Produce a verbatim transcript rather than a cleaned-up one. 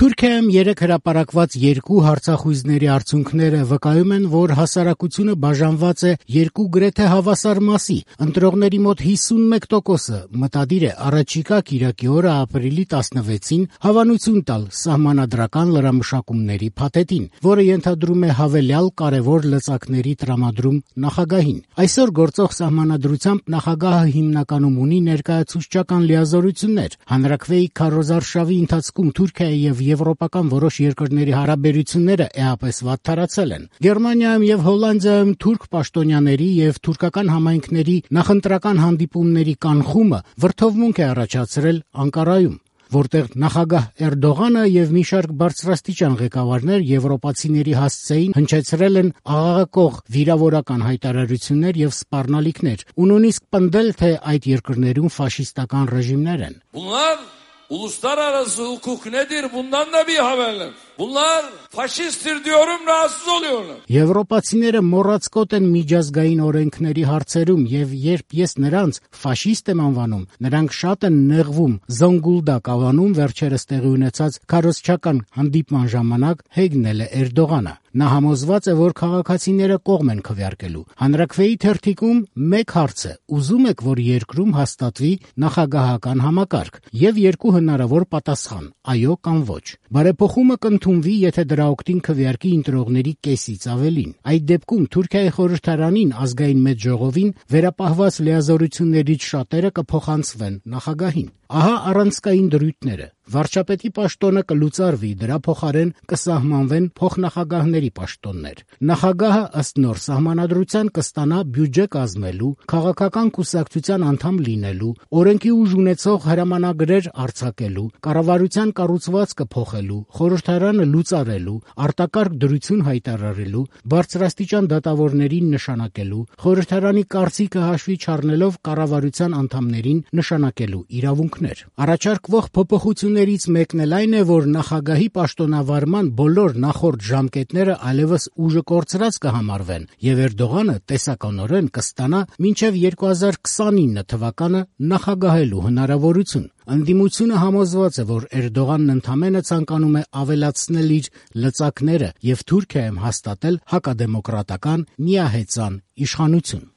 Թուրքիայում երեկ հրապարակված երկու հարցախույզների արդյունքները վկայում են, որ հասարակությունը բաժանված է երկու գրեթե հավասար մասի. ընտրողների մոտ հիսունմեկ տոկոսը մտադիր է առաջիկա կիրակի օրը ապրիլի տասնվեցին հավանություն տալ սահմանադրական լրամշակումների փաթեթին, որը ենթադրում է հավելյալ կարևոր լծակների տրամադրում նախագահին։ Այսօր գործող սահմանադրությամբ նախագահը հիմնականում ունի ներկայացուցչական լիազորություններ։ Հանրաքվեի քարոզարշավի ընթացքում Թուրքիայի եւ եվրոպական որոշ երկրների հարաբերությունները էապես վատթարացել են։ Գերմանիայում եւ Հոլանդիայում թուրք պաշտոնյաների եւ թուրքական համայնքների նախընտրական հանդիպումների կանխումը վրդովմունք է առաջացրել Անկարայում, որտեղ նախագահ Էրդողանը եւ մի շարք բարձրաստիճան ղեկավարներ եվրոպացիների հասցեին հնչեցրել են աղաղակող վիրավորական հայտարարություններ եւ սպառնալիքներ ու նույնիսկ պնդել, թե այդ երկրներում ֆաշիստական ռեժիմներ են։ Uluslararası hukuk nedir? Bundan da bir haberler. Bunlar faşisttir diyorum, rahatsız oluyorlar. Եվրոպացիները մոռացկոտ են միջազգային օրենքների հարցերում եւ երբ ես նրանց ֆաշիստ եմ անվանում, նրանք շատ են նեղվում, զոնգուլդակ ավանում վերջերս տեղի ունեցած քարոզչական հանդիպման ժամանակ հեգնել է Էրդողանը։ Նա համոզված է, որ քաղաքացիները կողմ են քվեարկելու։ Հանրաքվեի թերթիկում մեկ հարց է. ուզում եք, որ երկրում հաստատվի նախագահական համակարգ, եւ երկու հնարավոր պատասխան՝ այո կամ ոչ։ Բարեփոխումը կընդունվի, եթե դրա օգտին քվեարկի ընտրողների կեսից ավելին։ Այդ դեպքում Թուրքիայի խորհրդարանին ազգային մեծ ժողովին վերապահված լիազորություններից շատերը կփոխանցվեն նախագահին։ Ահա առանցքային դրույթները։ Վարչապետի պաշտոնը կլուծարվի, դրա փոխարեն կսահմանվեն փոխնախագահների պաշտոններ։ Նախագահը ըստ նոր սահմանադրության կստանա բյուջե կազմելու, քաղաքական կուսակցության անդամ լինելու, օրենքի ուժ ունեցող հրամանագրեր արձակելու, կառավարության կառուցվածքը փոխելու, խորհրդարանը լուծարելու, արտակարգ դրություն հայտարարելու, բարձրաստիճան դատավորներին նշանակելու, խորհրդարանի կարծիքը հաշվի չառնելով կառավարության անդամներին նշանակելու իրավունքներ։ Առաջարկվող փոփոխություններից մեկն էլ այն է, որ նախագահի պաշտոնավարման բոլոր նախորդ ժամկետները այլևս ուժը կորցրած կհամարվեն, եւ Էրդողանը տեսականորեն կստանա մինչեւ երկու հազար քսանինը թվականը նախագահելու հնարավորություն։ Ընդդիմությունը համոզված է, որ Էրդողանն ընդամենը ցանկանում է ավելացնել իր լծակները եւ Թուրքիայում հաստատել հակադեմոկրատական միահեծան իշխանություն։